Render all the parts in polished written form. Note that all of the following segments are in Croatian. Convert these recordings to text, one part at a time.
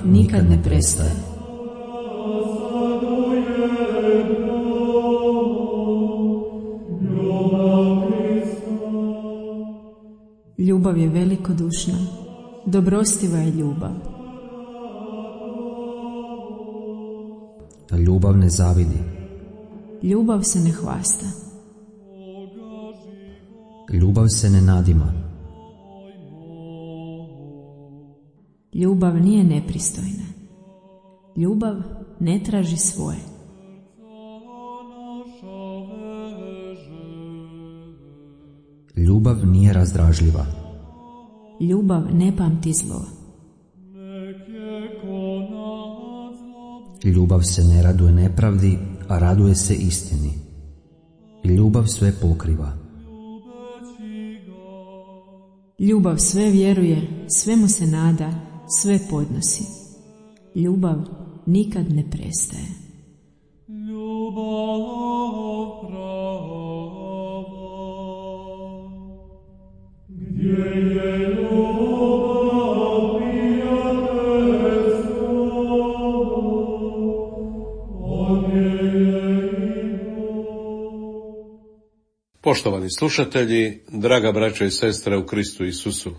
nikad ne prestaje. Ljubav je velikodušna, dobrostiva je ljubav. Ljubav ne zavidi. Ljubav se ne hvasta. Ljubav se ne nadima. Ljubav nije nepristojna. Ljubav ne traži svoje. Ljubav nije razdražljiva. Ljubav ne pamti zlo. Ljubav se ne raduje nepravdi, a raduje se istini. Ljubav sve pokriva. Ljubav sve vjeruje, svemu se nada, sve podnosi. Ljubav nikad ne prestaje. Poštovani slušatelji, draga braćo i sestre u Kristu Isusu,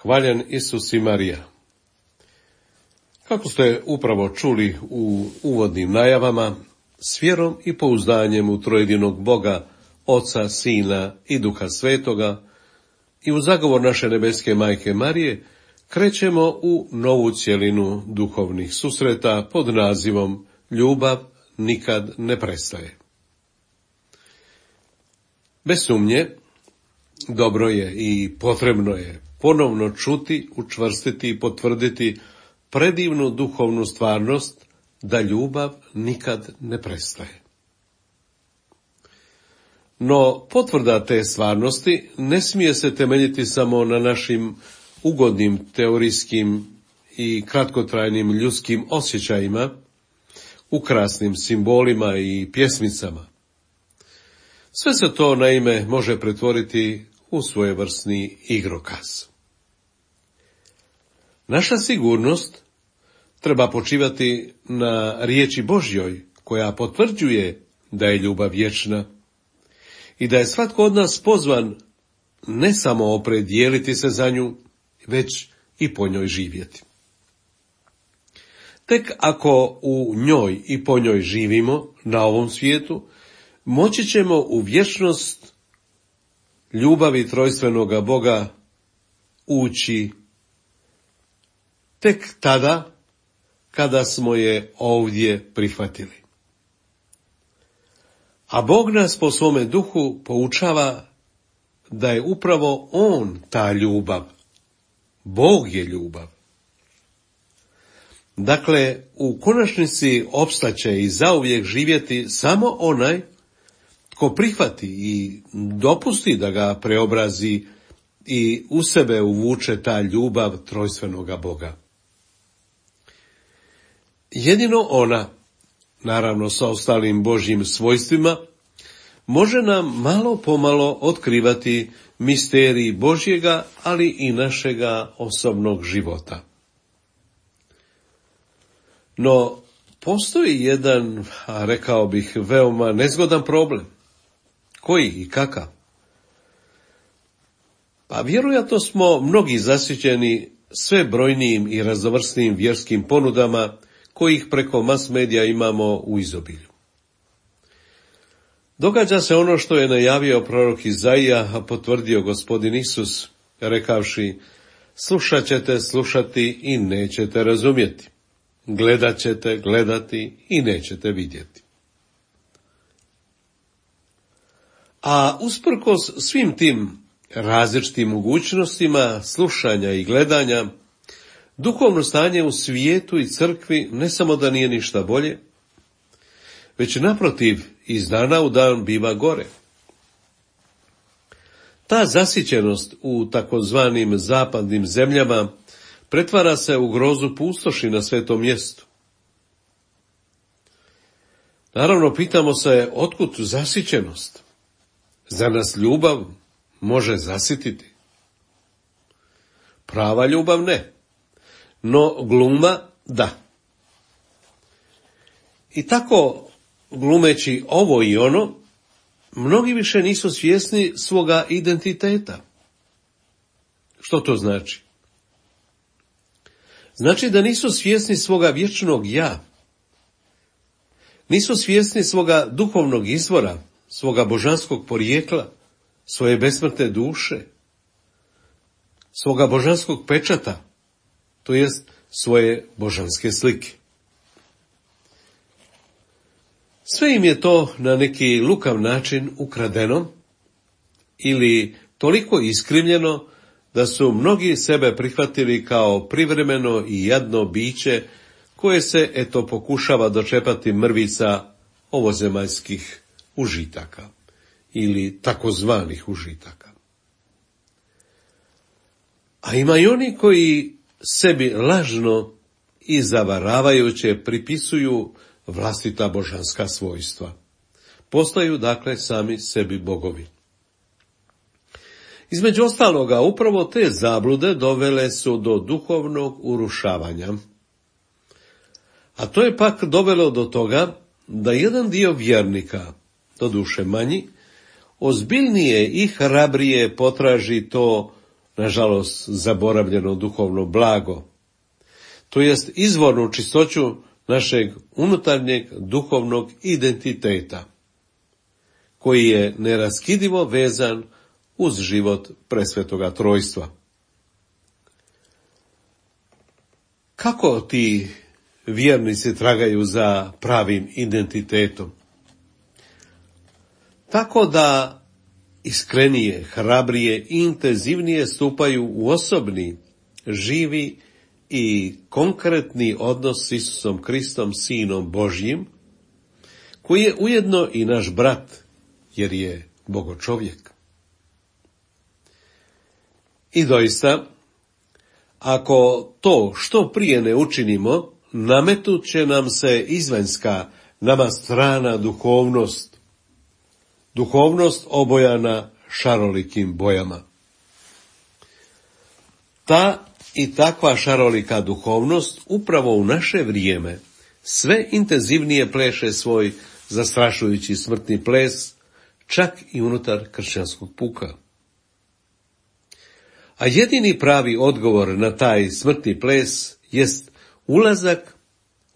hvaljen Isus i Marija. Kako ste upravo čuli u uvodnim najavama, s vjerom i pouzdanjem u trojedinog Boga, Oca, Sina i Duha Svetoga i u zagovor naše nebeske majke Marije, krećemo u novu cjelinu duhovnih susreta pod nazivom Ljubav nikad ne prestaje. Bez sumnje, dobro je i potrebno je ponovno čuti, učvrstiti i potvrditi predivnu duhovnu stvarnost da ljubav nikad ne prestaje. No, potvrda te stvarnosti ne smije se temeljiti samo na našim ugodnim teorijskim i kratkotrajnim ljudskim osjećajima, ukrasnim simbolima i pjesmicama. Sve se to naime može pretvoriti u svojevrsni igrokaz. Naša sigurnost treba počivati na riječi Božjoj, koja potvrđuje da je ljubav vječna i da je svatko od nas pozvan ne samo opredijeliti se za nju, već i po njoj živjeti. Tek ako u njoj i po njoj živimo na ovom svijetu, moći ćemo u vječnost ljubavi trojstvenoga Boga ući tek tada kada smo je ovdje prihvatili. A Bog nas po svome duhu poučava da je upravo On ta ljubav. Bog je ljubav. Dakle, u konačnici opstaće i zauvijek živjeti samo onaj tko prihvati i dopusti da ga preobrazi i u sebe uvuče ta ljubav trojstvenoga Boga. Jedino ona, naravno sa ostalim Božjim svojstvima, može nam malo pomalo otkrivati misterij Božjega, ali i našega osobnog života. No, postoji jedan, rekao bih, veoma nezgodan problem. Koji i kakav? Pa vjerojatno smo mnogi zasićeni sve brojnijim i raznovrsnim vjerskim ponudama kojih preko mas medija imamo u izobilju. Događa se ono što je najavio prorok Izaija, a potvrdio Gospodin Isus, rekavši: slušat ćete slušati i nećete razumjeti. Gledat ćete gledati i nećete vidjeti. A usprkos svim tim različitim mogućnostima slušanja i gledanja, duhovno stanje u svijetu i crkvi ne samo da nije ništa bolje, već naprotiv iz dana u dan biva gore. Ta zasićenost u takozvanim zapadnim zemljama pretvara se u grozu pustoši na svetom mjestu. Naravno, pitamo se otkud zasićenost? Za nas ljubav može zasititi? Prava ljubav ne. No gluma da. I tako, glumeći ovo i ono, mnogi više nisu svjesni svoga identiteta. Što to znači? Znači da nisu svjesni svoga vječnog ja. Nisu svjesni svoga duhovnog izvora, svoga božanskog porijekla, svoje besmrtne duše, svoga božanskog pečata, to jest svoje božanske slike. Sve im je to na neki lukav način ukradeno ili toliko iskrivljeno da su mnogi sebe prihvatili kao privremeno i jadno biće koje se, pokušava dočepati mrvica ovozemaljskih užitaka ili takozvanih užitaka. A ima i oni koji sebi lažno i zavaravajuće pripisuju vlastita božanska svojstva. Postaju, dakle, sami sebi bogovi. Između ostaloga, upravo te zablude dovele su do duhovnog urušavanja. A to je pak dovelo do toga da jedan dio vjernika, doduše manji, ozbiljnije i hrabrije potraži to, nažalost, zaboravljeno duhovno blago, to jest izvornu čistoću našeg unutarnjeg duhovnog identiteta, koji je neraskidivo vezan uz život presvetoga trojstva. Kako ti vjernici tragaju za pravim identitetom? Tako da iskrenije, hrabrije i intenzivnije stupaju u osobni, živi i konkretni odnos s Isusom Kristom, Sinom Božjim, koji je ujedno i naš brat, jer je bogočovjek. I doista, ako to što prije ne učinimo, nametut će nam se izvanjska, nama strana duhovnost obojana šarolikim bojama. Ta i takva šarolika duhovnost upravo u naše vrijeme sve intenzivnije pleše svoj zastrašujući smrtni ples, čak i unutar kršćanskog puka. A jedini pravi odgovor na taj smrtni ples jest ulazak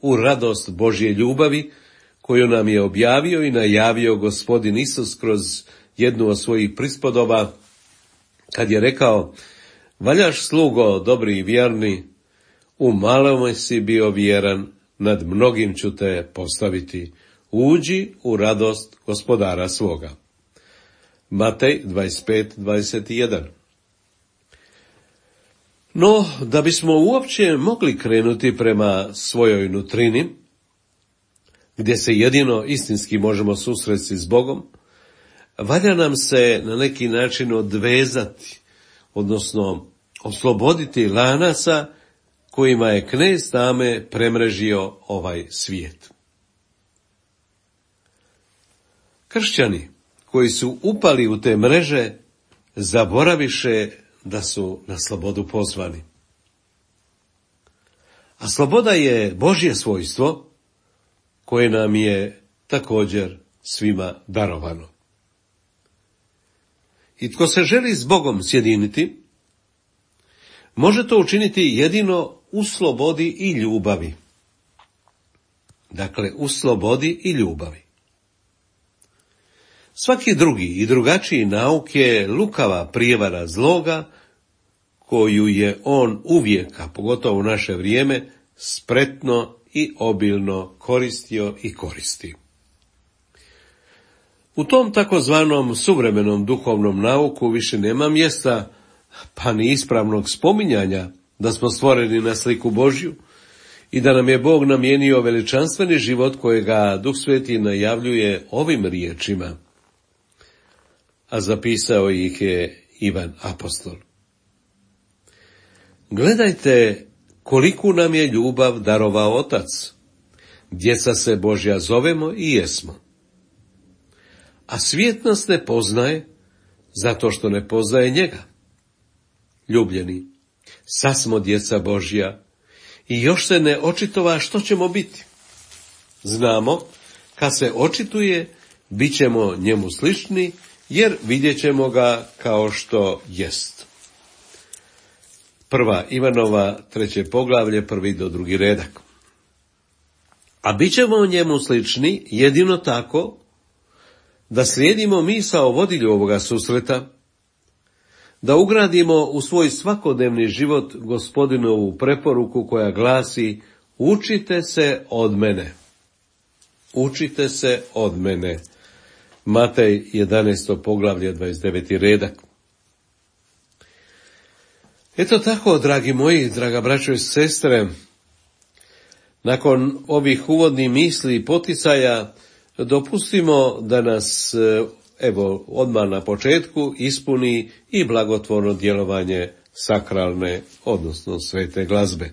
u radost Božje ljubavi, koju nam je objavio i najavio Gospodin Isus kroz jednu od svojih prispodoba, kad je rekao: valjaš, slugo dobri i vjerni, u malome si bio vjeran, nad mnogim ću te postaviti, uđi u radost gospodara svoga. Matej 25:21. No, da bismo uopće mogli krenuti prema svojoj nutrini, gdje se jedino istinski možemo susresti s Bogom, valja nam se na neki način odvezati, odnosno osloboditi lanaca kojima je knez tame premrežio ovaj svijet. Kršćani koji su upali u te mreže zaboraviše da su na slobodu pozvani. A sloboda je Božje svojstvo koje nam je također svima darovano. I tko se želi s Bogom sjediniti, može to učiniti jedino u slobodi i ljubavi. Dakle, u slobodi i ljubavi. Svaki drugi i drugačiji nauk je lukava prijevara zloga, koju je on uvijek, a pogotovo u naše vrijeme, spretno i obilno koristio i koristi. U tom takozvanom suvremenom duhovnom nauku više nema mjesta, pa ni ispravnog spominjanja da smo stvoreni na sliku Božju i da nam je Bog namijenio veličanstveni život kojega Duh Sveti najavljuje ovim riječima, a zapisao ih je Ivan apostol. Gledajte koliku nam je ljubav darovao Otac, djeca se Božja zovemo i jesmo. A svijet nas ne poznaje, zato što ne poznaje njega. Ljubljeni, sad smo djeca Božja i još se ne očitova što ćemo biti. Znamo, kad se očituje, bit ćemo njemu slični, jer vidjet ćemo ga kao što jest. 1. Ivanova 3. poglavlje 1. do 2. redak. A bit ćemo njemu slični jedino tako da slijedimo misao vodilju ovoga susreta, da ugradimo u svoj svakodnevni život Gospodinovu preporuku koja glasi: učite se od mene. Učite se od mene. Matej 11. poglavlje 29. redak. Eto tako, dragi moji, draga braćo i sestre, nakon ovih uvodnih misli i poticaja, dopustimo da nas, odmah na početku ispuni i blagotvorno djelovanje sakralne, odnosno svete glazbe.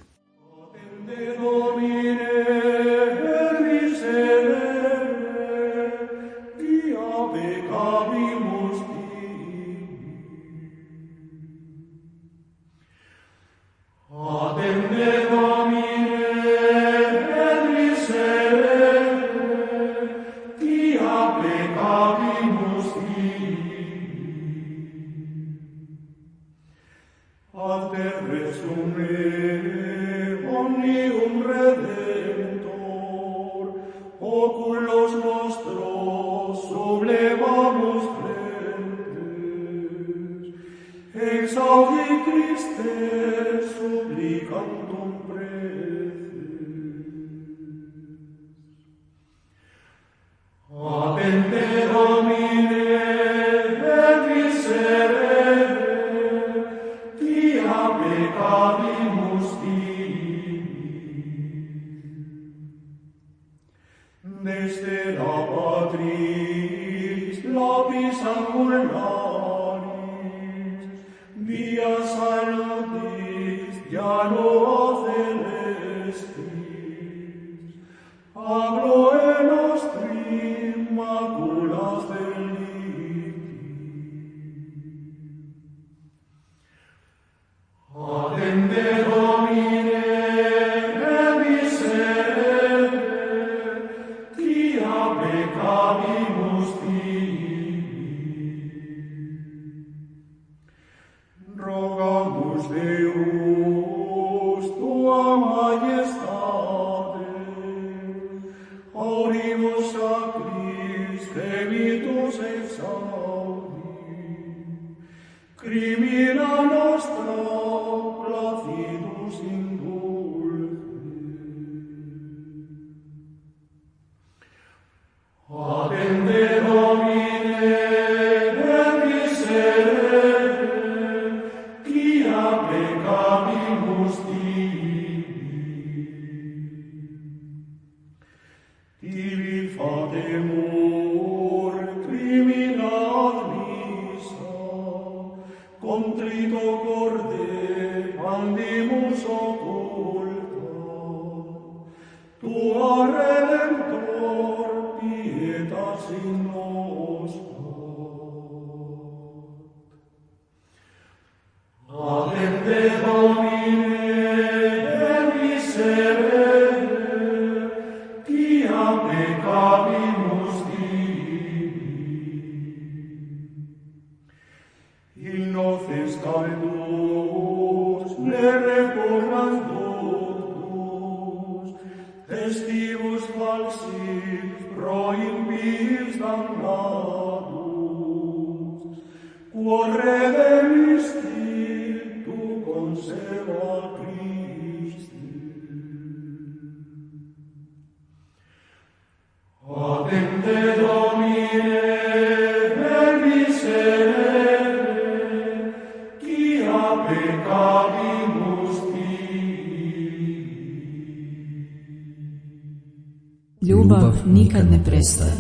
Ljubav nikad ne prestaje.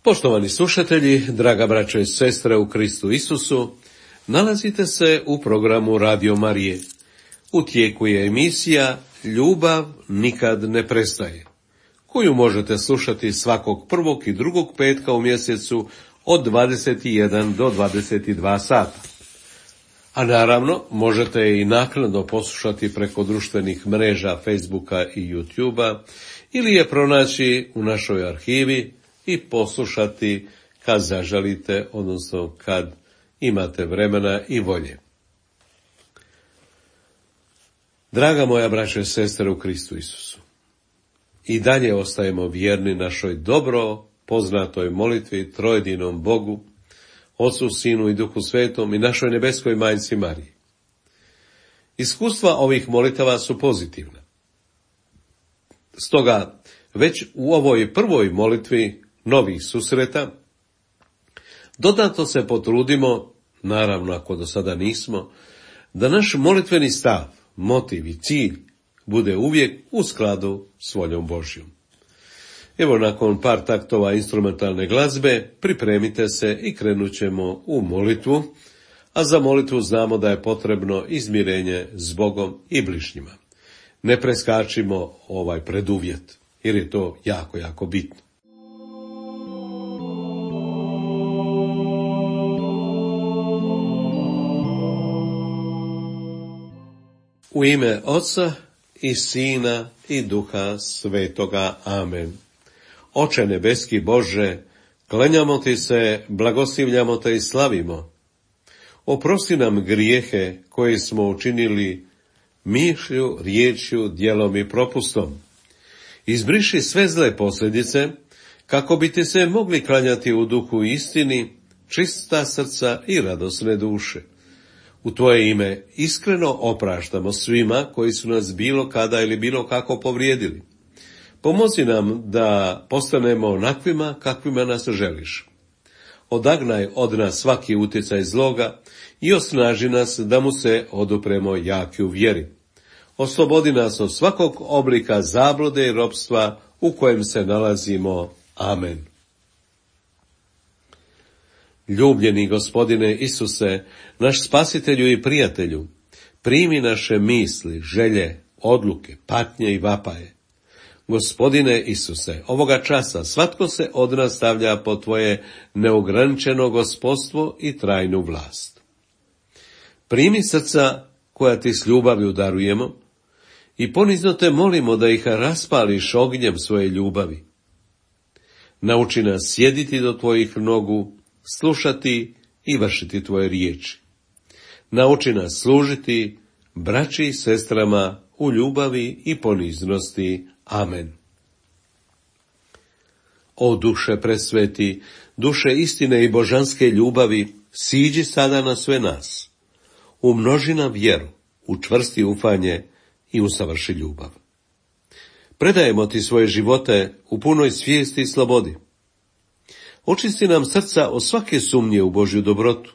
Poštovani slušatelji, draga braćo i sestre u Kristu Isusu, nalazite se u programu Radio Marije. U tijeku je emisija Ljubav nikad ne prestaje, koju možete slušati svakog prvog i drugog petka u mjesecu od 21 do 22 sata. A naravno, možete je i naknadno poslušati preko društvenih mreža Facebooka i YouTubea ili je pronaći u našoj arhivi i poslušati kad zaželite, odnosno kad imate vremena i volje. Draga moja braćo i sestre u Kristu Isusu, i dalje ostajemo vjerni našoj dobro poznatoj molitvi trojedinom Bogu, Otcu, Sinu i Duhu Svetom i našoj nebeskoj majci Mariji. Iskustva ovih molitava su pozitivna. Stoga, već u ovoj prvoj molitvi novih susreta, dodatno se potrudimo, naravno ako do sada nismo, da naš molitveni stav, motiv i cilj bude uvijek u skladu s voljom Božjom. Evo, nakon par taktova instrumentalne glazbe, pripremite se i krenut ćemo u molitvu, a za molitvu znamo da je potrebno izmirenje s Bogom i bližnjima. Ne preskačimo ovaj preduvjet, jer je to jako, jako bitno. U ime Oca i Sina i Duha Svetoga. Amen. Oče nebeski Bože, klanjamo ti se, blagoslivljamo te i slavimo. Oprosti nam grijehe koje smo učinili mišlju, riječju, djelom i propustom. Izbriši sve zle posljedice, kako bi ti se mogli klanjati u duhu i istini, čista srca i radosne duše. U tvoje ime iskreno opraštamo svima koji su nas bilo kada ili bilo kako povrijedili. Pomozi nam da postanemo onakvima kakvima nas želiš. Odagnaj od nas svaki utjecaj zloga i osnaži nas da mu se odupremo jaki u vjeri. Oslobodi nas od svakog oblika zablude i ropstva u kojem se nalazimo. Amen. Ljubljeni Gospodine Isuse, naš spasitelju i prijatelju, primi naše misli, želje, odluke, patnje i vapaje. Gospodine Isuse, ovoga časa svatko se od nas stavlja pod tvoje neograničeno gospodstvo i trajnu vlast. Primi srca koja ti s ljubavlju darujemo i ponizno te molimo da ih raspališ ognjem svoje ljubavi. Nauči nas sjediti do tvojih nogu, slušati i vršiti tvoje riječi. Nauči nas služiti braći i sestrama u ljubavi i poniznosti. Amen. O duše presveti, duše istine i božanske ljubavi, siđi sada na sve nas. Umnoži nam vjeru, učvrsti ufanje i usavrši ljubav. Predajemo ti svoje živote u punoj svijesti i slobodi. Očisti nam srca od svake sumnje u Božju dobrotu,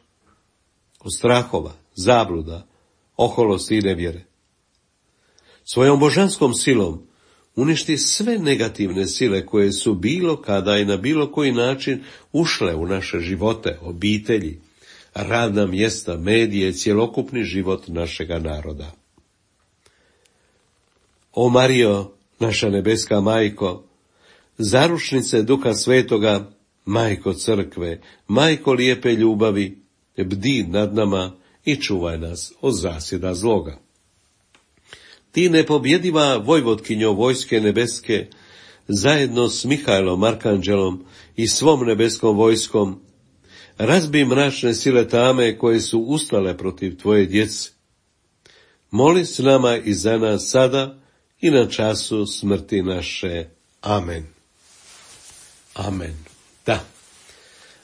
od strahova, zabluda, oholosti i nevjere. Svojom božanskom silom uništi sve negativne sile koje su bilo kada i na bilo koji način ušle u naše živote, obitelji, radna mjesta, medije i cjelokupni život našega naroda. O Marijo, naša nebeska majko, zaručnice Duha Svetoga, majko crkve, majko lijepe ljubavi, bdi nad nama i čuvaj nas od zasjeda zloga. Ti nepobjediva vojvotkinjo vojske nebeske, zajedno s Mihajlom Arkanđelom i svom nebeskom vojskom, razbi mračne sile tame koje su ustale protiv tvoje djece. Moli s nama i za nas sada i na času smrti naše. Amen. Amen.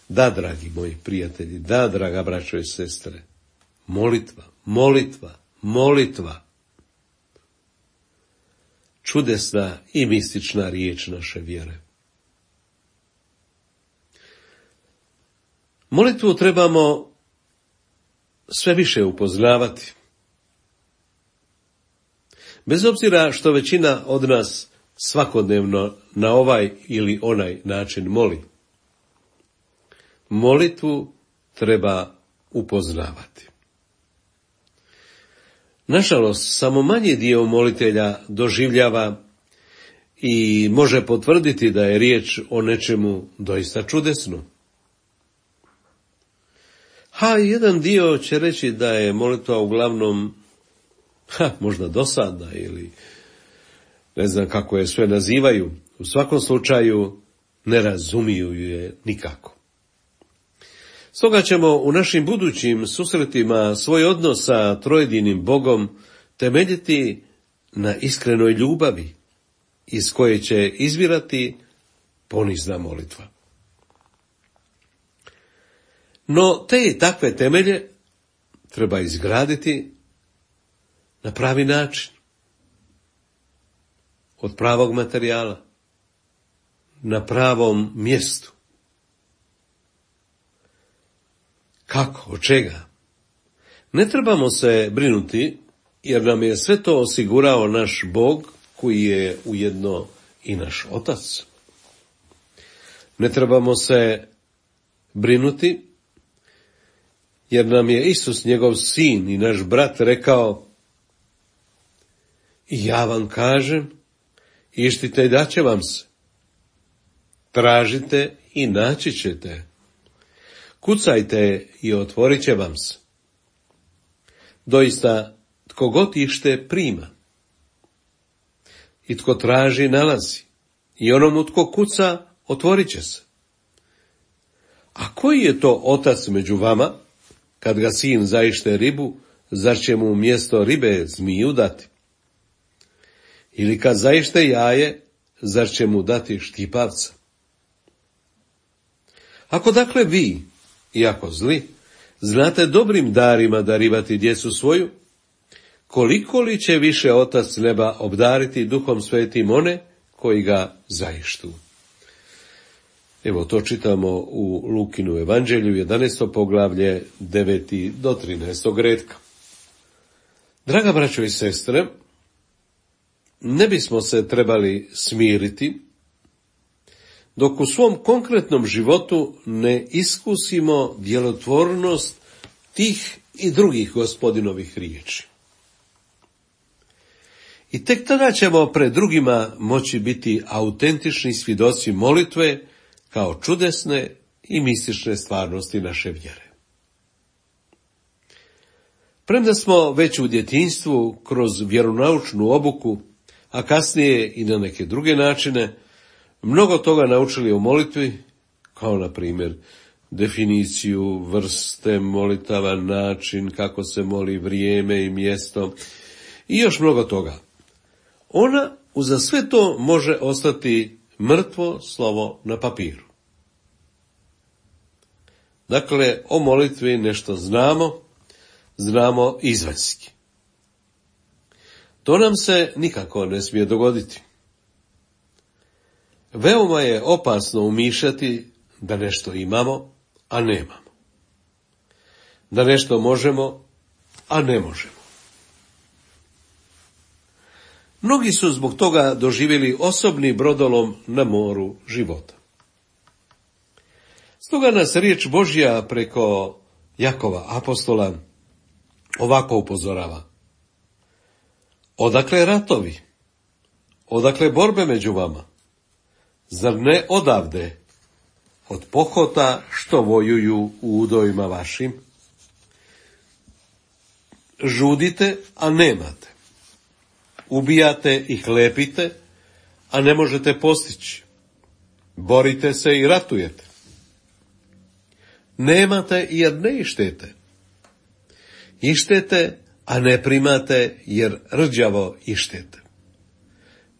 Da, dragi moji prijatelji, da, draga braćo i sestre, molitva, molitva, molitva. Čudesna i mistična riječ naše vjere. Molitvu trebamo sve više upoznavati. Bez obzira što većina od nas svakodnevno na ovaj ili onaj način moli. Molitvu treba upoznavati. Nažalost, samo manji dio molitelja doživljava i može potvrditi da je riječ o nečemu doista čudesnom. Jedan dio će reći da je molitva uglavnom možda dosadna ili ne znam kako je sve nazivaju. U svakom slučaju ne razumiju je nikako. Stoga ćemo u našim budućim susretima svoj odnos sa trojedinim Bogom temeljiti na iskrenoj ljubavi, iz koje će izvirati ponizna molitva. No te i takve temelje treba izgraditi na pravi način, od pravog materijala, na pravom mjestu. Kako? Od čega? Ne trebamo se brinuti, jer nam je sve to osigurao naš Bog, koji je ujedno i naš Otac. Ne trebamo se brinuti, jer nam je Isus, njegov sin i naš brat, rekao: ja vam kažem, ištite i daće vam se. Tražite i naći ćete. Kucajte i otvorit će vam se. Doista, tko god ište prima. I tko traži nalazi. I onomu tko kuca otvorit će se. A koji je to otac među vama, kad ga sin zaište ribu, zar će mu umjesto ribe zmiju dati? Ili kad zaište jaje, zar će mu dati štipavca? Ako dakle vi, iako zli, znate dobrim darima darivati djecu svoju, koliko li će više Otac neba obdariti Duhom Svetim one koji ga zaištu? Evo, to čitamo u Lukinu evanđelju, 11. poglavlje, 9. do 13. redka. Draga braćo i sestre, ne bismo se trebali smiriti dok u svom konkretnom životu ne iskusimo djelotvornost tih i drugih Gospodinovih riječi. I tek tada ćemo pred drugima moći biti autentični svjedoci molitve kao čudesne i mistične stvarnosti naše vjere. Premda smo već u djetinjstvu kroz vjeronaučnu obuku, a kasnije i na neke druge načine, mnogo toga naučili o molitvi, kao na primjer definiciju, vrste molitava, način kako se moli, vrijeme i mjesto i još mnogo toga. Ona uza sve to može ostati mrtvo slovo na papiru. Dakle, o molitvi nešto znamo izvanjski. To nam se nikako ne smije dogoditi. Veoma je opasno umišljati da nešto imamo, a nemamo. Da nešto možemo, a ne možemo. Mnogi su zbog toga doživjeli osobni brodolom na moru života. Stoga nas riječ Božja preko Jakova apostola ovako upozorava: odakle ratovi? Odakle borbe među vama? Zar ne odavde, od pohota što vojuju u udovima vašim? Žudite, a nemate. Ubijate i hlepite, a ne možete postići. Borite se i ratujete. Nemate jer ne ištete. Ištete, a ne primate jer rđavo ištete.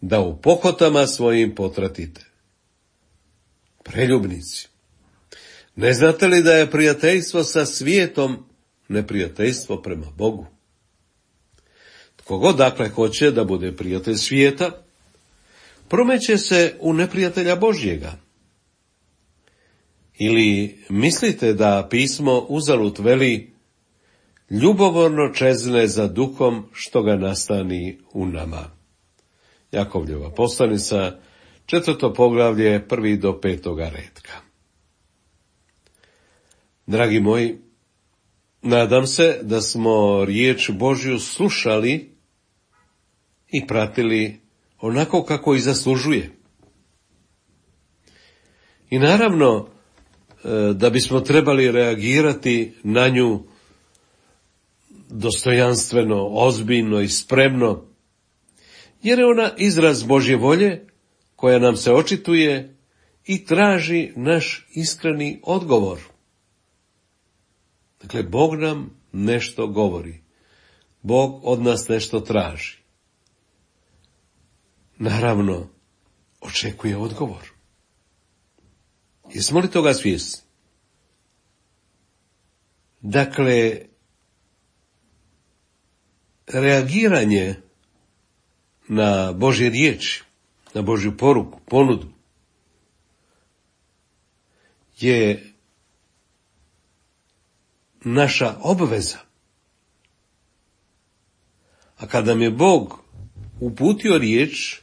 Da u pohotama svojim potratite. Preljubnici, ne znate li da je prijateljstvo sa svijetom neprijateljstvo prema Bogu? Tko god dakle hoće da bude prijatelj svijeta, promeće se u neprijatelja Božjega. Ili mislite da pismo uzalud veli: ljubomorno čezne za duhom što ga nastani u nama? Jakovljeva poslanica, 4. poglavlje, 1. do 5. redka. Dragi moji, nadam se da smo riječ Božju slušali i pratili onako kako i zaslužuje. I naravno, da bismo trebali reagirati na nju dostojanstveno, ozbiljno i spremno, jer je ona izraz Božje volje koja nam se očituje i traži naš iskreni odgovor. Dakle, Bog nam nešto govori. Bog od nas nešto traži. Naravno, očekuje odgovor. Jesmo li toga svjesni? Dakle, reagiranje na Božje riječi, na Božju poruku, ponudu, je naša obveza. A kada nam je Bog uputio riječ,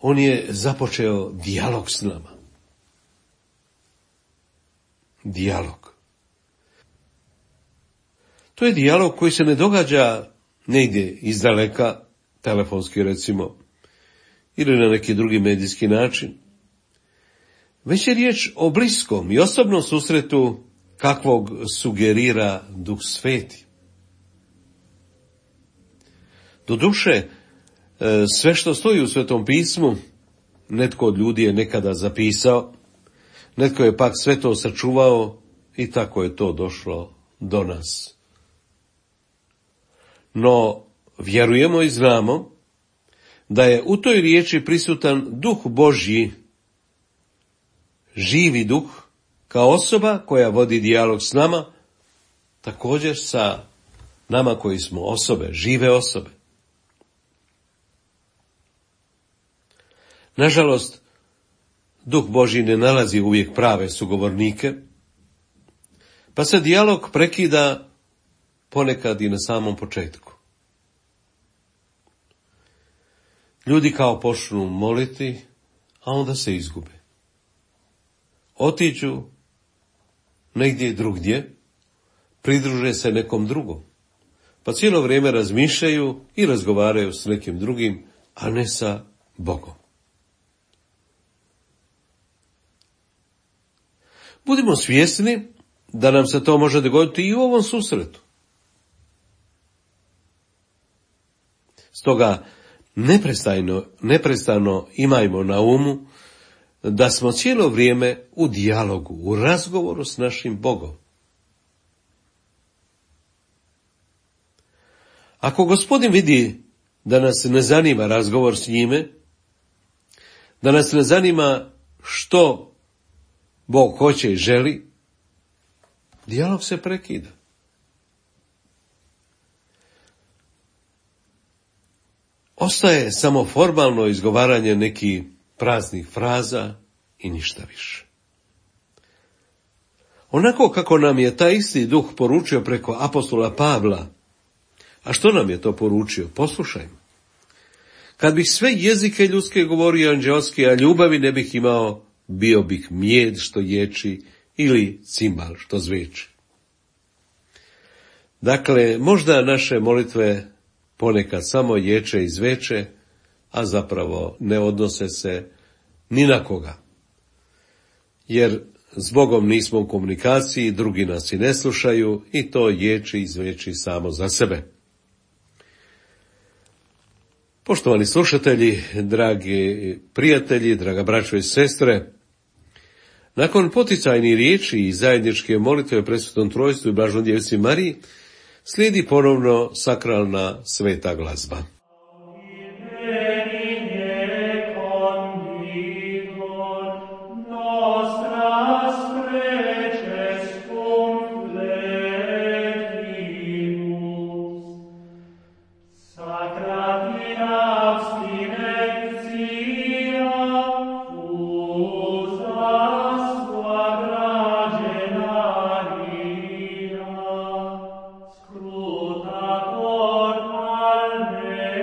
on je započeo dijalog s nama. Dijalog. To je dijalog koji se ne događa negdje izdaleka, telefonski recimo, ili na neki drugi medijski način, već je riječ o bliskom i osobnom susretu kakvog sugerira Duh Sveti. Doduše, sve što stoji u Svetom pismu, netko od ljudi je nekada zapisao, netko je pak sve to sačuvao i tako je to došlo do nas. No, vjerujemo i znamo da je u toj riječi prisutan Duh Božji, živi Duh, kao osoba koja vodi dijalog s nama, također sa nama koji smo osobe, žive osobe. Nažalost, Duh Božji ne nalazi uvijek prave sugovornike, pa se dijalog prekida ponekad i na samom početku. Ljudi kao počnu moliti, a onda se izgube. Otiđu negdje drugdje, pridruže se nekom drugom, pa cijelo vrijeme razmišljaju i razgovaraju s nekim drugim, a ne sa Bogom. Budimo svjesni da nam se to može dogoditi i u ovom susretu. Stoga neprestano imajmo na umu da smo cijelo vrijeme u dijalogu, u razgovoru s našim Bogom. Ako Gospodin vidi da nas ne zanima razgovor s njime, da nas ne zanima što Bog hoće i želi, dijalog se prekida. Ostaje samo formalno izgovaranje nekih praznih fraza i ništa više. Onako kako nam je taj isti Duh poručio preko apostola Pavla, a što nam je to poručio? Poslušajmo. Kad bih sve jezike ljudske govorio anđeoski, a ljubavi ne bih imao, bio bih mijed što ječi ili cimbal što zveči. Dakle, možda naše molitve ponekad samo ječe i zveče, a zapravo ne odnose se ni na koga. Jer s Bogom nismo u komunikaciji, drugi nas i ne slušaju i to ječi i zveči samo za sebe. Poštovani slušatelji, dragi prijatelji, draga braćo i sestre, nakon poticajnih riječi i zajedničke molitve o presvetnom trojstvu i Blaženoj Djevici Mariji, slijedi ponovno sakralna sveta glazba. Scruta cor alme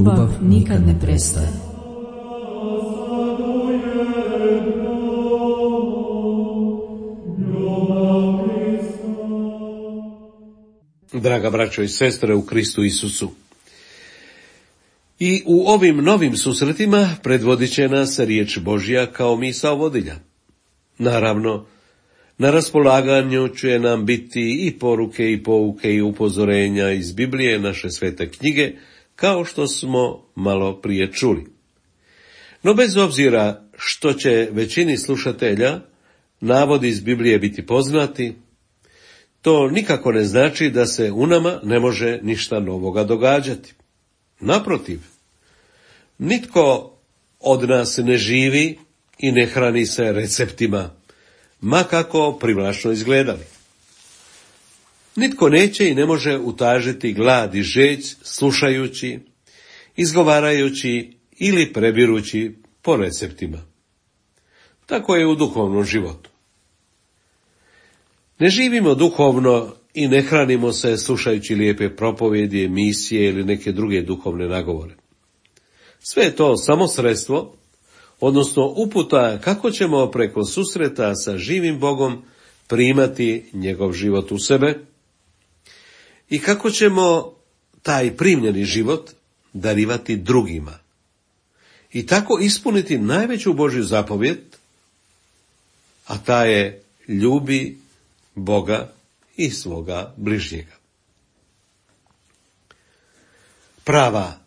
Ljubav nikad ne prestaje. Draga braćo i sestre u Kristu Isusu, i u ovim novim susretima predvodit će nas riječ Božja kao misao vodilja. Naravno, na raspolaganju će nam biti i poruke i pouke i upozorenja iz Biblije, naše svete knjige, kao što smo malo prije čuli. No bez obzira što će većini slušatelja navodi iz Biblije biti poznati, to nikako ne znači da se u nama ne može ništa novoga događati. Naprotiv, nitko od nas ne živi i ne hrani se receptima, ma kako privlačno izgledali. Nitko neće i ne može utažiti glad i žeđ slušajući, izgovarajući ili prebirući po receptima. Tako je u duhovnom životu. Ne živimo duhovno i ne hranimo se slušajući lijepe propovjedi, emisije ili neke druge duhovne nagovore. Sve je to samo sredstvo, odnosno uputa kako ćemo preko susreta sa živim Bogom primati njegov život u sebe i kako ćemo taj primljeni život darivati drugima i tako ispuniti najveću Božju zapovjed, a ta je ljubi Boga i svoga bližnjega. Prava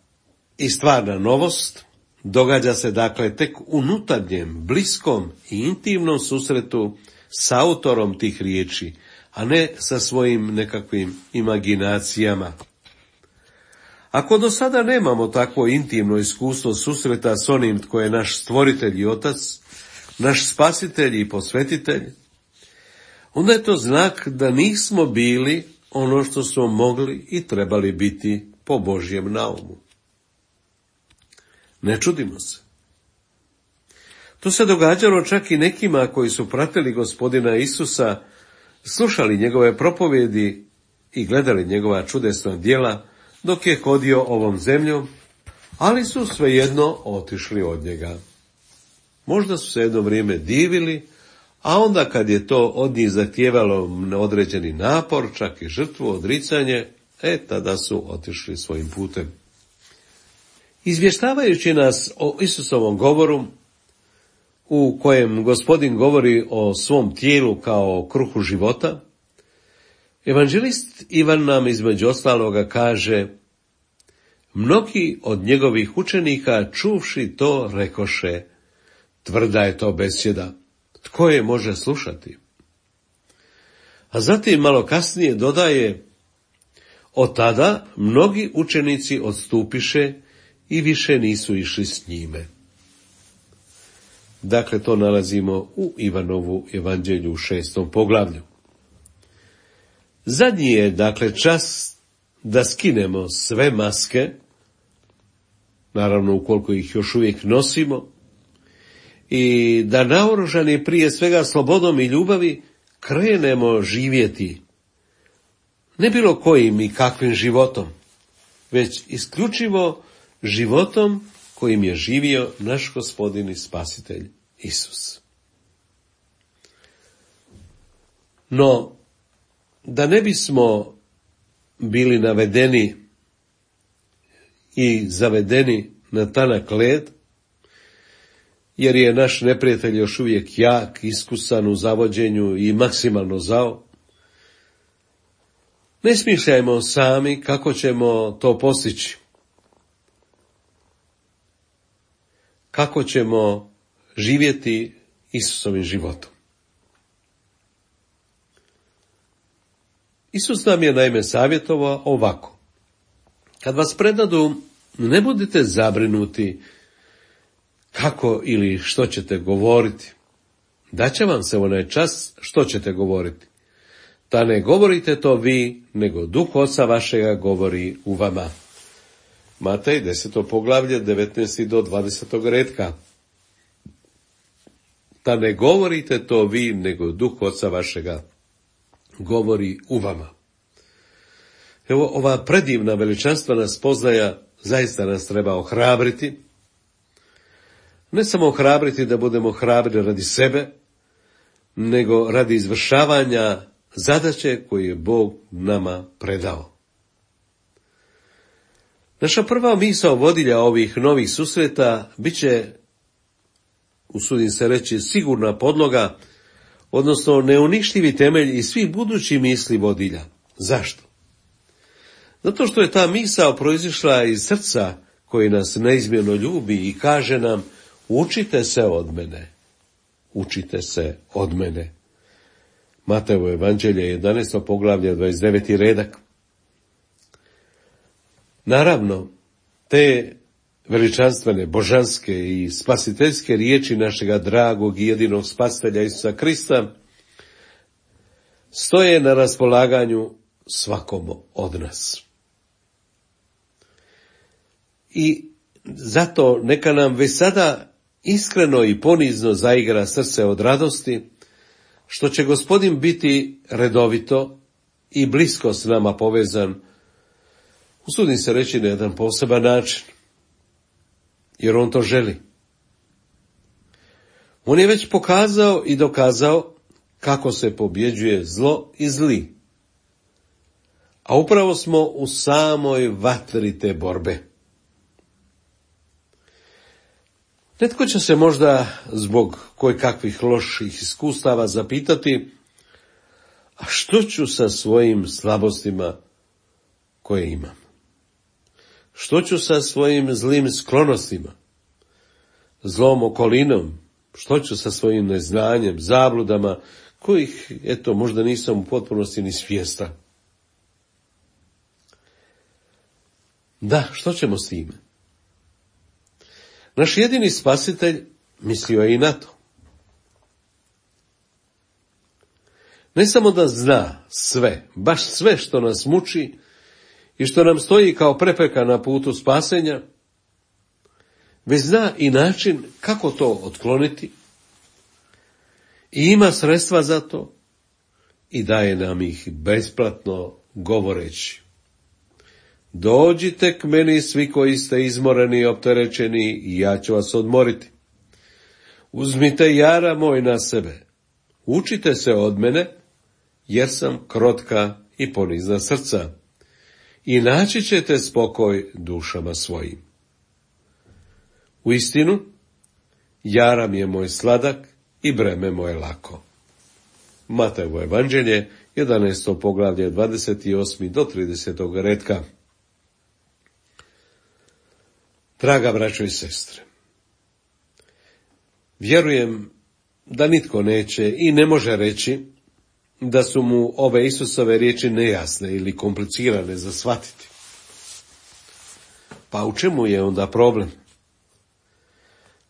i stvarna novost događa se dakle tek u unutarnjem, bliskom i intimnom susretu s autorom tih riječi, a ne sa svojim nekakvim imaginacijama. Ako do sada nemamo takvo intimno iskustvo susreta s onim tko je naš stvoritelj i otac, naš spasitelj i posvetitelj, onda je to znak da nismo bili ono što smo mogli i trebali biti po Božjem naumu. Ne čudimo se. To se događalo čak i nekima koji su pratili Gospodina Isusa, slušali njegove propovjedi i gledali njegova čudesna djela dok je hodio ovom zemljom, ali su svejedno otišli od njega. Možda su se jedno vrijeme divili, a onda kad je to od njih zahtijevalo određeni napor, čak i žrtvu, odricanje, tada su otišli svojim putem. Izvještavajući nas o Isusovom govoru, u kojem Gospodin govori o svom tijelu kao o kruhu života, evanđelist Ivan nam između ostaloga kaže: mnogi od njegovih učenika čuvši to rekoše, tvrda je to besjeda, tko je može slušati? A zatim malo kasnije dodaje, od tada mnogi učenici odstupiše i više nisu išli s njime. Dakle, to nalazimo u Ivanovu evanđelju u 6. poglavlju. Zadnji je, dakle, čas da skinemo sve maske, naravno ukoliko ih još uvijek nosimo, i da naoružani prije svega slobodom i ljubavi krenemo živjeti ne bilo kojim i kakvim životom, već isključivo životom kojim je živio naš Gospodin i Spasitelj Isus. No, da ne bismo bili navedeni i zavedeni na tanak led, jer je naš neprijatelj još uvijek jak, iskusan u zavođenju i maksimalno zao, ne smišljajmo sami kako ćemo to postići. Kako ćemo živjeti Isusovim životom. Isus nam je naime savjetovao ovako: kad vas predadu, ne budite zabrinuti kako ili što ćete govoriti. Daće vam se onaj čas što ćete govoriti. Ta ne govorite to vi, nego Duh Oca vašega govori u vama. Matej 10. poglavlje 19. do 20. redka. Ta ne govorite to vi, nego Duh Oca vašega govori u vama. Evo, ova predivna veličanstvena spoznaja zaista nas treba ohrabriti. Ne samo ohrabriti da budemo hrabri radi sebe, nego radi izvršavanja zadaće koju je Bog nama predao. Naša prva misao vodilja ovih novih susreta bit će, usudim se reći, sigurna podloga, odnosno neuništivi temelj i svih budućih misli vodilja. Zašto? Zato što je ta misao proizišla iz srca koji nas neizmjerno ljubi i kaže nam: učite se od mene, učite se od mene. Matejevo evanđelje 11. poglavlje 29. redak. Naravno, te veličanstvene, božanske i spasiteljske riječi našega dragog i jedinog spasitelja Isusa Krista stoje na raspolaganju svakom od nas. I zato neka nam već sada iskreno i ponizno zaigra srce od radosti, što će Gospodin biti redovito i blisko s nama povezan, usudim se reći, na jedan poseban način, jer on to želi. On je već pokazao i dokazao kako se pobjeđuje zlo i zli, a upravo smo u samoj vatri te borbe. Netko će se možda zbog kojekakvih loših iskustava zapitati: a što ću sa svojim slabostima koje imam? Što ću sa svojim zlim sklonostima, zlom okolinom? Što ću sa svojim neznanjem, zabludama, kojih, možda nisam u potpunosti ni svjestan? Da, što ćemo s time? Naš jedini spasitelj mislio je i na to. Ne samo da zna sve, baš sve što nas muči i što nam stoji kao prepreka na putu spasenja, već zna i način kako to otkloniti i ima sredstva za to i daje nam ih besplatno govoreći: dođite k meni svi koji ste izmoreni i opterećeni i ja ću vas odmoriti. Uzmite jara moj na sebe, učite se od mene, jer sam krotka i ponizna srca, i naći ćete spokoj dušama svojim. Uistinu, jaram je moj sladak i breme moje lako. Matejevo evanđelje 11. poglavlje 28. do 30. retka. Draga braćo i sestre, vjerujem da nitko neće i ne može reći da su mu ove Isusove riječi nejasne ili komplicirane za shvatiti. Pa u čemu je onda problem?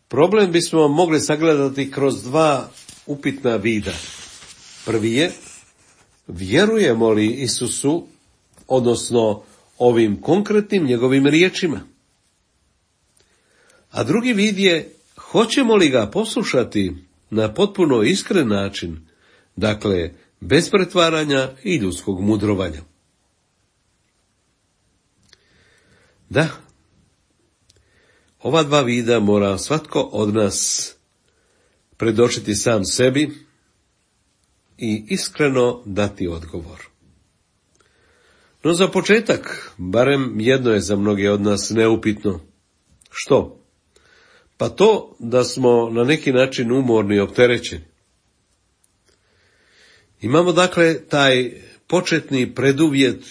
Problem bismo mogli sagledati kroz dva upitna vida. Prvi je: vjerujemo li Isusu, odnosno ovim konkretnim njegovim riječima? A drugi vid je: hoćemo li ga poslušati na potpuno iskren način, dakle bez pretvaranja i ljudskog mudrovanja? Da, ova dva vida mora svatko od nas predočiti sam sebi i iskreno dati odgovor. No za početak, barem jedno je za mnoge od nas neupitno. Što? Pa to da smo na neki način umorni i opterećeni. Imamo dakle taj početni preduvjet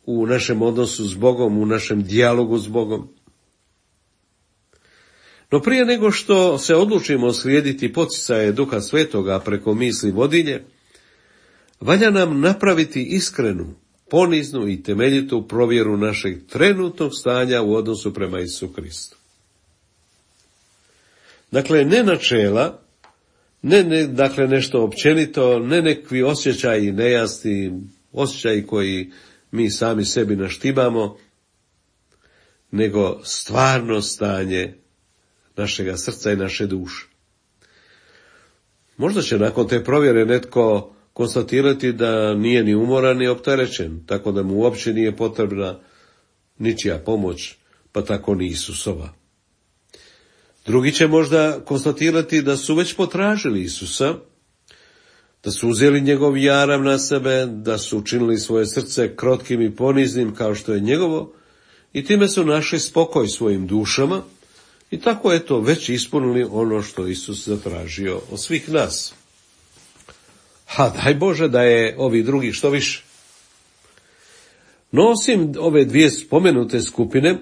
u našem odnosu s Bogom, u našem dijalogu s Bogom. No prije nego što se odlučimo slijediti poticaje Duha Svetoga preko misli vodilje, valja nam napraviti iskrenu, poniznu i temeljitu provjeru našeg trenutnog stanja u odnosu prema Isusu Kristu. Dakle, ne načela, dakle nešto općenito, ne nekakvi osjećaji nejasni, osjećaji koji mi sami sebi naštimamo, nego stvarno stanje našega srca i naše duše. Možda će nakon te provjere netko konstatirati da nije ni umoran ni opterećen, tako da mu uopće nije potrebna ničija pomoć, pa tako ni Isusova. Drugi će možda konstatirati da su već potražili Isusa, da su uzeli njegov jarav na sebe, da su učinili svoje srce krotkim i poniznim kao što je njegovo i time su našli spokoj svojim dušama i tako već ispunili ono što Isus zatražio od svih nas. Daj Bože da je ovih drugih što više. No osim ove dvije spomenute skupine,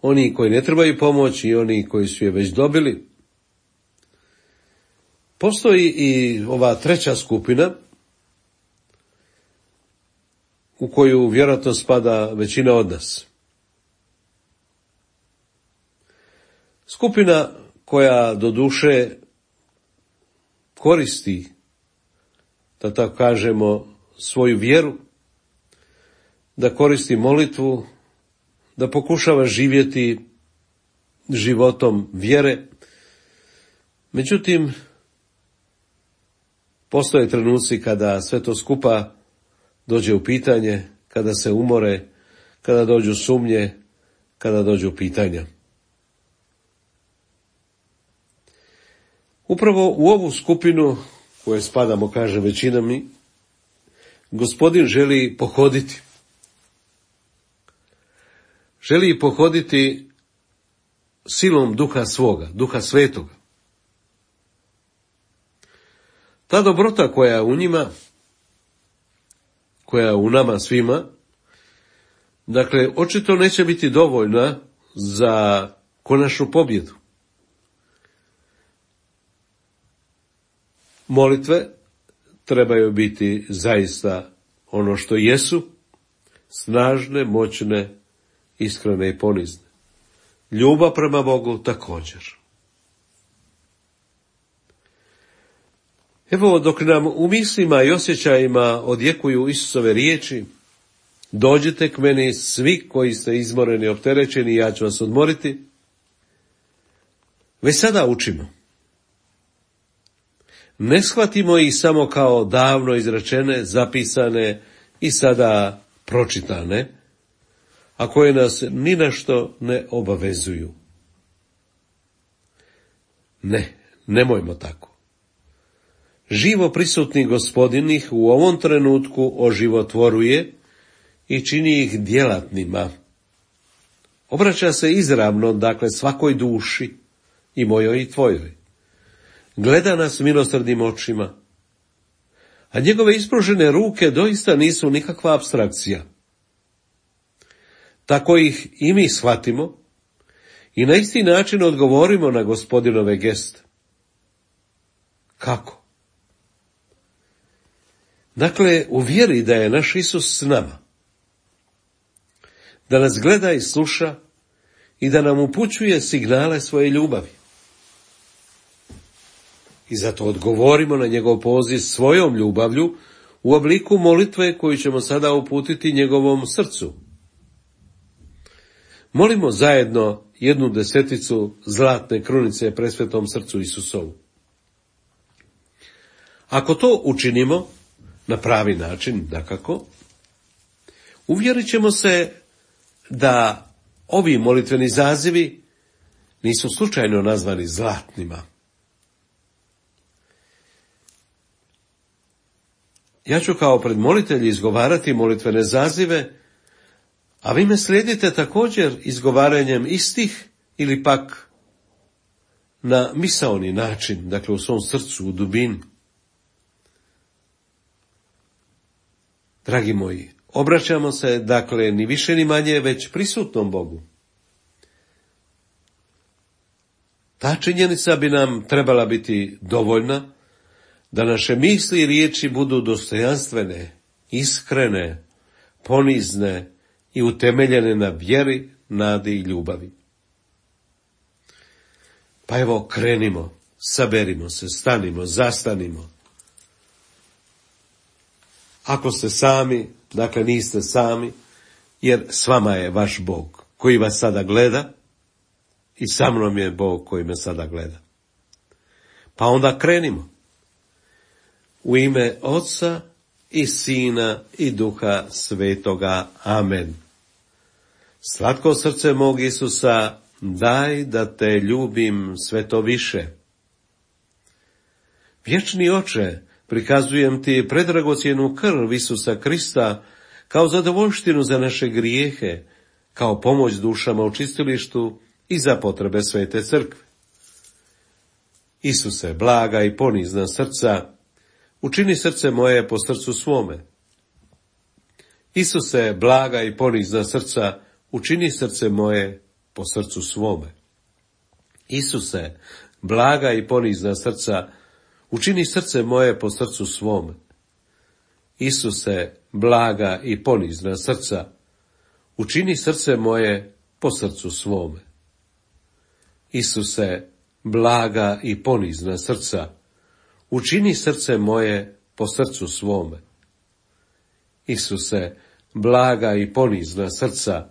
oni koji ne trebaju pomoć i oni koji su je već dobili, postoji i ova treća skupina u koju vjerojatno spada većina od nas. Skupina koja doduše koristi, da tako kažemo, svoju vjeru, da koristi molitvu, da pokušava živjeti životom vjere. Međutim, postoje trenuci kada sve to skupa dođe u pitanje, kada se umore, kada dođu sumnje, kada dođu pitanja. Upravo u ovu skupinu, koje spadamo, kaže većina mi, Gospodin želi pohoditi. Želi pohoditi silom duha svoga, duha svetoga. Ta dobrota koja je u njima, koja je u nama svima, dakle, očito neće biti dovoljna za konačnu pobjedu. Molitve trebaju biti zaista ono što jesu, snažne, moćne, iskrene i ponizne. Ljubav prema Bogu također. Evo, dok nam u mislima i osjećajima odjekuju Isusove riječi, dođite k meni svi koji ste izmoreni i opterećeni, ja ću vas odmoriti, već sada učimo. Ne shvatimo ih samo kao davno izrečene, zapisane i sada pročitane, a koje nas ni na što ne obavezuju. Ne, nemojmo tako. Živo prisutni Gospodin ih u ovom trenutku oživotvoruje i čini ih djelatnima. Obraća se izravno, dakle, svakoj duši, i mojoj i tvojoj. Gleda nas milosrdnim očima, a njegove ispružene ruke doista nisu nikakva apstrakcija. Tako ih i mi shvatimo i na isti način odgovorimo na Gospodinove geste. Kako? Dakle, u vjeri da je naš Isus s nama, da nas gleda i sluša i da nam upućuje signale svoje ljubavi. I zato odgovorimo na njegov poziv svojom ljubavlju u obliku molitve koju ćemo sada uputiti njegovom srcu. Molimo zajedno 1/10 zlatne krunice presvetom srcu Isusovu. Ako to učinimo na pravi način, dakako, uvjerit ćemo se da ovi molitveni zazivi nisu slučajno nazvani zlatnima. Ja ću kao predmolitelj izgovarati molitvene zazive, a vi me slijedite također izgovaranjem istih ili pak na misaoni način, dakle u svom srcu, u dubini. Dragi moji, obraćamo se, dakle, ni više ni manje, već prisutnom Bogu. Ta činjenica bi nam trebala biti dovoljna da naše misli i riječi budu dostojanstvene, iskrene, ponizne i utemeljene na vjeri, nadi i ljubavi. Pa evo, krenimo, saberimo se, stanimo, zastanimo. Ako ste sami, dakle niste sami, jer s vama je vaš Bog koji vas sada gleda i sa mnom je Bog koji me sada gleda. Pa onda krenimo. U ime Oca i Sina i Duha Svetoga. Amen. Slatko srce mog Isusa, daj da te ljubim sve to više. Vječni Oče, prikazujem ti predragocjenu krv Isusa Krista kao zadovoljštinu za naše grijehe, kao pomoć dušama u čistilištu i za potrebe Svete Crkve. Isuse, blaga i ponizna srca, učini srce moje po srcu svome. Isuse, blaga i ponizna srca, učini srce moje po srcu svome. Isuse, blaga i ponizna srca, učini srce moje po srcu svome. Isuse, blaga i ponizna srca, učini srce moje po srcu svome. Isuse, blaga i ponizna srca, učini srce moje po srcu svome. Isuse, blaga i ponizna srca,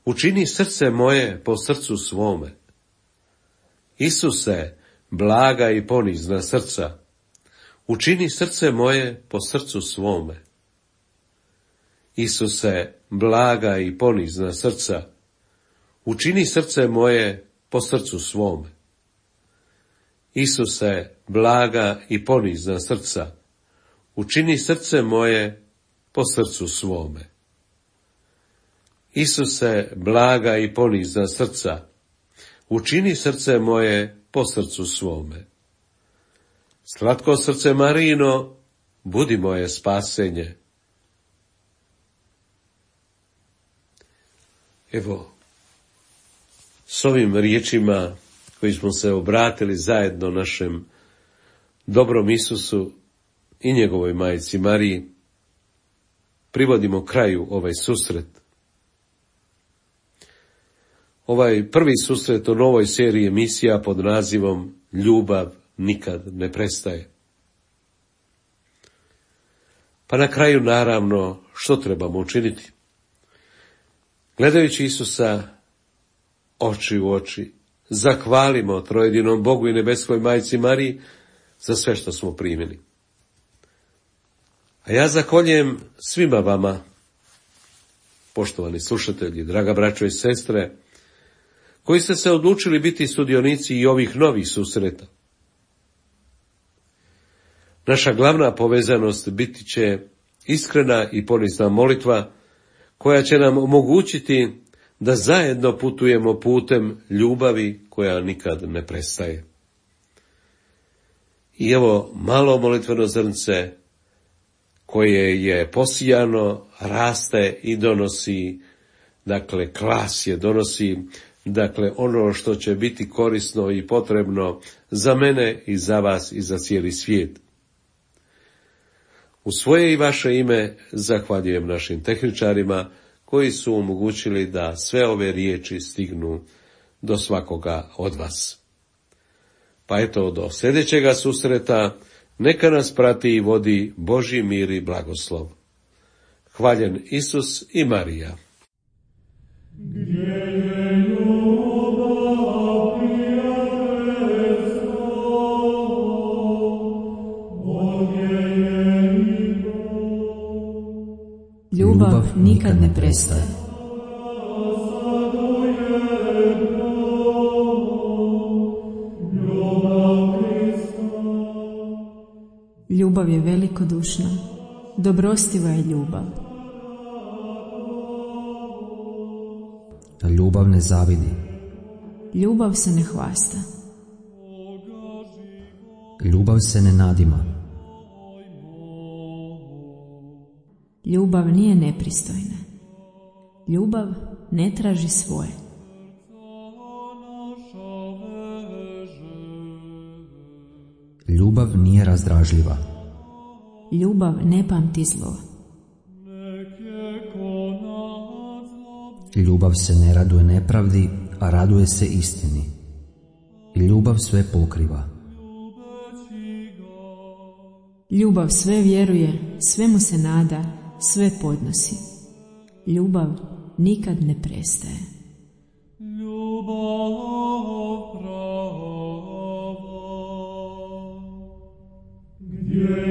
učini srce moje po srcu svome. Isuse, blaga i ponizna srca, učini srce moje po srcu svome. Isuse, blaga i ponizna srca, učini srce moje po srcu svome. Isuse, blaga i ponizna srca, učini srce moje po srcu svome. Isuse, blaga i ponizna srca, učini srce moje po srcu svome. Slatko srce Marino, budi moje spasenje. Evo, s ovim riječima koji smo se obratili zajedno našem dobrom Isusu i njegovoj majci Mariji, privodimo kraju ovaj susret. Ovaj prvi susret u novoj seriji emisija pod nazivom Ljubav nikad ne prestaje. Pa na kraju, naravno, što trebamo učiniti? Gledajući Isusa oči u oči, zahvalimo trojedinom Bogu i nebeskoj majci Mariji za sve što smo primili. A ja zahvaljujem svima vama, poštovani slušatelji, draga braćo i sestre, koji ste se odlučili biti sudionici i ovih novih susreta. Naša glavna povezanost biti će iskrena i ponizna molitva, koja će nam omogućiti da zajedno putujemo putem ljubavi koja nikad ne prestaje. I evo malo molitveno zrnce koje je posijano, raste i donosi, klasje, donosi, ono što će biti korisno i potrebno za mene i za vas i za cijeli svijet. U svoje i vaše ime zahvaljujem našim tehničarima koji su omogućili da sve ove riječi stignu do svakoga od vas. Pa eto, do sljedećega susreta, neka nas prati i vodi Božji mir i blagoslov. Hvaljen Isus i Marija. Ljubav nikad ne prestaje. Ljubav je velikodušna, dobrostiva je ljubav. Ljubav ne zavidi. Ljubav se ne hvasta. Ljubav se ne nadima. Ljubav nije nepristojna. Ljubav ne traži svoje. Ljubav nije razdražljiva. Ljubav ne pamti zlo. Ljubav se ne raduje nepravdi, a raduje se istini. I ljubav sve pokriva. Ljubav sve vjeruje, svemu se nada, sve podnosi. Ljubav nikad ne prestaje. Ljubav prava, gdje